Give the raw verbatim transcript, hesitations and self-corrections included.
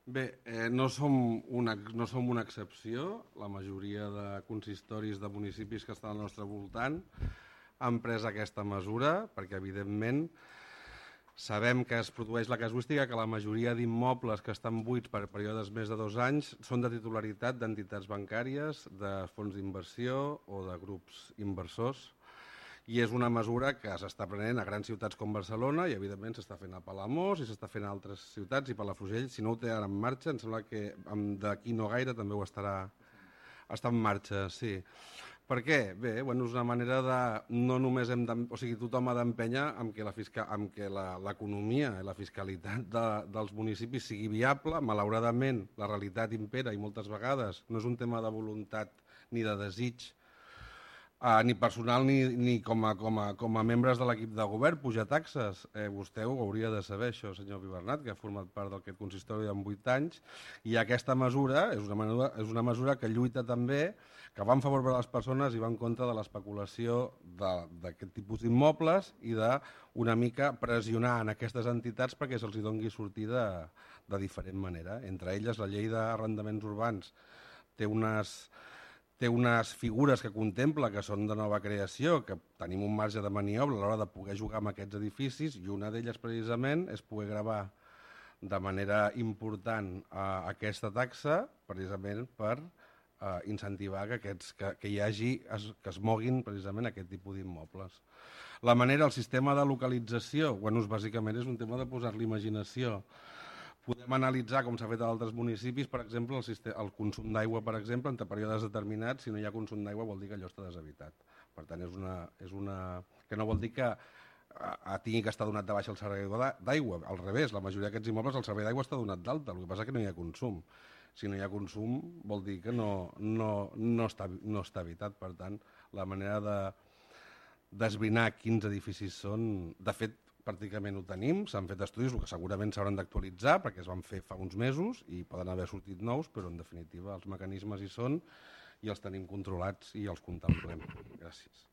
Bé, eh, no, som una, no som una excepció. La majoria de consistoris de municipis que estan al nostre voltant han pres aquesta mesura perquè, evidentment, sabem que es produeix la casuística que la majoria d'immobles que estan buits per períodes més de dos anys són de titularitat d'entitats bancàries, de fons d'inversió o de grups inversors, i és una mesura que s'està prenent a grans ciutats com Barcelona i, evidentment, s'està fent a Palamós i s'està fent a altres ciutats, i Palafrugell, si no ho té ara en marxa, em sembla que d'aquí no gaire també ho estarà, està en marxa, sí. Per què? Bé, bueno, és una manera de... No només hem de... O sigui, tothom ha d'empènyer amb que la fisca... amb que l'economia i la fiscalitat de, dels municipis sigui viable. Malauradament, la realitat impera i moltes vegades no és un tema de voluntat ni de desig, Uh, ni personal ni, ni com, a, com, a, com a membres de l'equip de govern, pujar taxes. Eh, vostè ho hauria de saber, això, senyor Pibernat, que ha format part d'aquest consistori en vuit anys, i aquesta mesura és una, mesura és una mesura que lluita també, que va en favor de les persones i va en contra de l'especulació d'aquest tipus d'immobles i d'una mica pressionar en aquestes entitats perquè se'ls doni sortida de, de diferent manera. Entre elles, la llei d'arrendaments urbans té unes... té unes figures que contempla que són de nova creació, que tenim un marge de maniobra a l'hora de poder jugar amb aquests edificis, i una d'elles precisament és poder gravar de manera important eh, aquesta taxa precisament per eh, incentivar que, aquests, que, que hi hagi, es, que es moguin precisament aquest tipus d'immobles. La manera, el sistema de localització, bueno, bàsicament és un tema de posar-li imaginació. Podem analitzar, com s'ha fet a altres municipis, per exemple, el, sistema, el consum d'aigua, per exemple, entre períodes determinats. Si no hi ha consum d'aigua vol dir que allò està deshabitat. Per tant, és una, és una... que no vol dir que a, tingui que estar donat de baixa el servei d'aigua. Al revés, la majoria d'aquests immobles el servei d'aigua està donat d'alta. El que passa és que no hi ha consum. Si no hi ha consum vol dir que no, no, no, està, no està habitat. Per tant, la manera de d'esbrinar quins edificis són... De fet, pràcticament ho tenim, s'han fet estudis, que segurament s'hauran d'actualitzar perquè es van fer fa uns mesos i poden haver sortit nous, però en definitiva els mecanismes hi són i els tenim controlats i els contemplem. Gràcies.